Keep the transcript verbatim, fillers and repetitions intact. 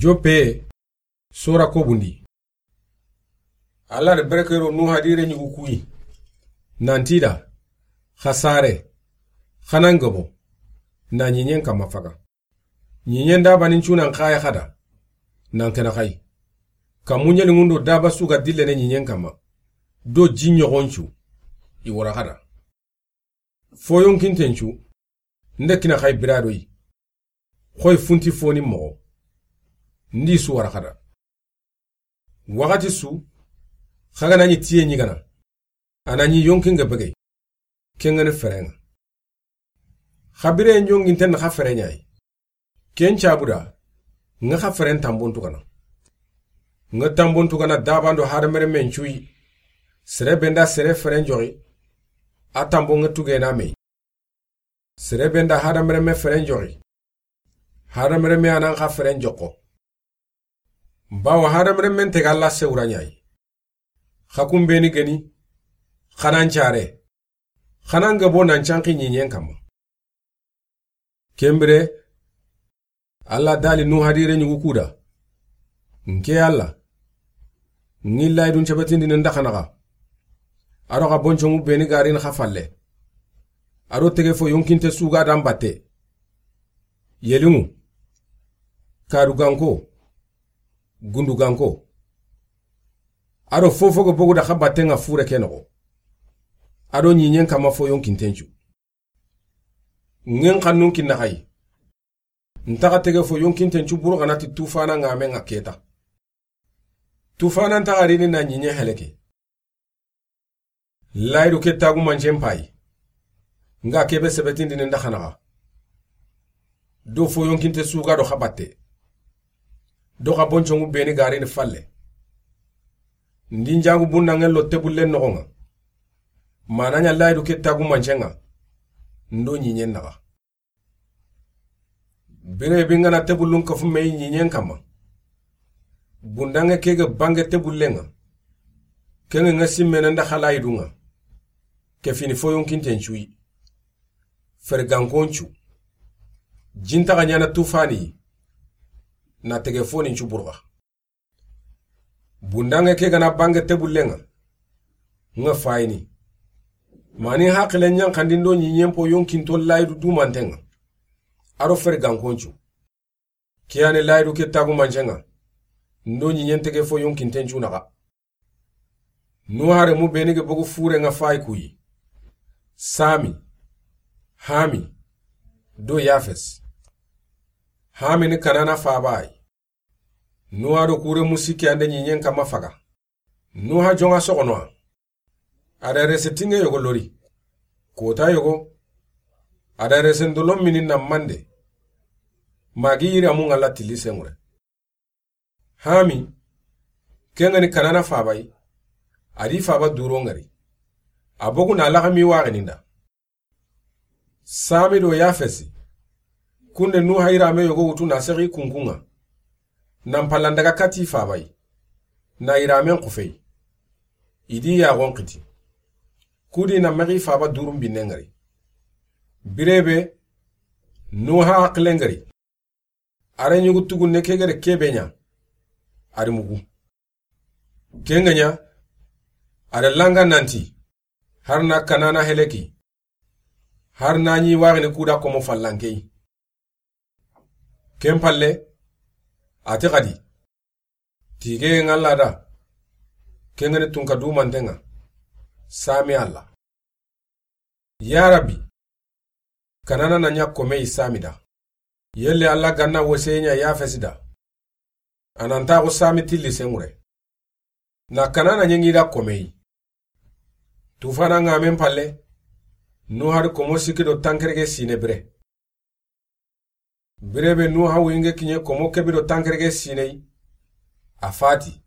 Joppe, sora kobundi. Alla da berekero Nuha di renyugu kuyi. Nanti da, xa sare, xa nan gabo, na ɲiɲen kamma faga. Ɲiɲen dabanin cunan xaya xada, nan kena xayi. Kammu ɲelinŋun do daba su ga dillene ɲiɲen kamma, do ji ɲoxon cu, i wara xada. Fo yonkinten cu, nde kina xayi biradoyi. Xoyi funti foni moxo, ndi su wara xada. Waxati su, xa ga na ɲi tiye ɲigana, a na ɲi yonkin ga begey, ken ga ni ferenŋa. Xa bire yonkinten na xa ferenɲayi. Ken cabuda, nga xa feren tambon tugana. Nga tambon tugana dabando hadamaren men cuyi. Sere benda sere feren joxi, a tambo nga tugena mey. Sere benda hadamaren me feren joxi, hadamaren me anan xa feren joxo. Bawo hadamaren men tega Alla sewura ɲayi. Xa kumbeni geni, xa nan care, xa nan gabo nan canki ɲiɲen kamma. Kenbire, Alla dali Nuha di renyugu kuda. Nke Alla, ŋi layidun cebetindini nda xanaxa. Aro xa boncongu beni garini xa falle. Aro tege fo yonkinte suga dan batte. Yelinŋu, kadu ganko, gundu ganko. Aro fofo ga bogu da xa batte nga fure ke noxo. Ado ɲiɲen kamma fo yonkinten cu. Ŋen xannun kinna xayi. Ntaxa tege fo yonkinten cu buru xana ti tufana nga men nga keta. Tufana ntaxa rini na ɲiɲe heleke. Layidu ke tagu mancen payi. Nga kebe sebetindini nda xanaxa. Do fo yonkinte suga do xa batte. Do xa boncongu beni garini falle. Ndi njagu bundanŋen lo tebullen noxonŋa. Mananya layidu ke tagu mancenŋa. Ndo ɲiɲen naxa. Bire bi nga na tebullun kafu meyi ɲiɲen kamma. Bundanŋe ke ga bange tebullenŋa. Kenge nga simmene nda xa layidunŋa. Ke fini fo yonkinten cuyi. Fergankon cu. Jintaxa ɲana tufani. Na tege foni cu burxa. Bundanŋe ke gana bange tebullenŋa. Nga fayini. Mani haqile ɲanxandindo ɲiɲen po yonkinto layidu dumantenŋa. Aro fergankon cu. Kiyani layidu ke tagu mancenŋa. Ndo ɲiɲen tege fo yonkinten cu naxa. Nuha remu beni ga bogu fure nga fayi kuyi. Sami, Hami, do Yafes. Hami ni Kanana fabayi. Nuha do kure musiki ande ɲiɲen kamma faga. Nuha jonga soxonoa. A da rese tinŋe yogo lori. Kota yogo. A da rese ndolon mini na mande. Magi yiri amu nga la tilli sengure. Hami, kengani Kanana fabayi. A di faba duro ngari. A bogu na laxami waxininda. Sami do Yafesi. Kunde Nuha yirame yogo wutu na sexi kunkunŋa. Nan pallandaga kati fabayi. Na yiramen xufeyi. I di yaxon xiti. Kudi na mexi faba durum binne ngari. Birebe, Nuha haqile ngari. A ra ɲugu tugunne ke gere kebe ɲa. A ri mugu. Kenga ɲa, a ra langa nanti, har na Kanana heleki, har na ɲi waxini kuda komo fallankey. Ken palle, a ti xadi, tige nga Alla da, kengani tunka dumantenŋa, Sami Alla. Ya Rabbi, Kanana na ɲa komeyi Sami da. Yelle Alla ganna woseye ɲa Yafesi da. A nan taxu Sami tilli sengure. Na Kanana ɲengi da komeyi. Tufana nga men palle, Nuha di komo sikki do tankerege sine bire. Birebe Nuha wuyinge kiɲe komo kebi do tankerege sineyi, a fati.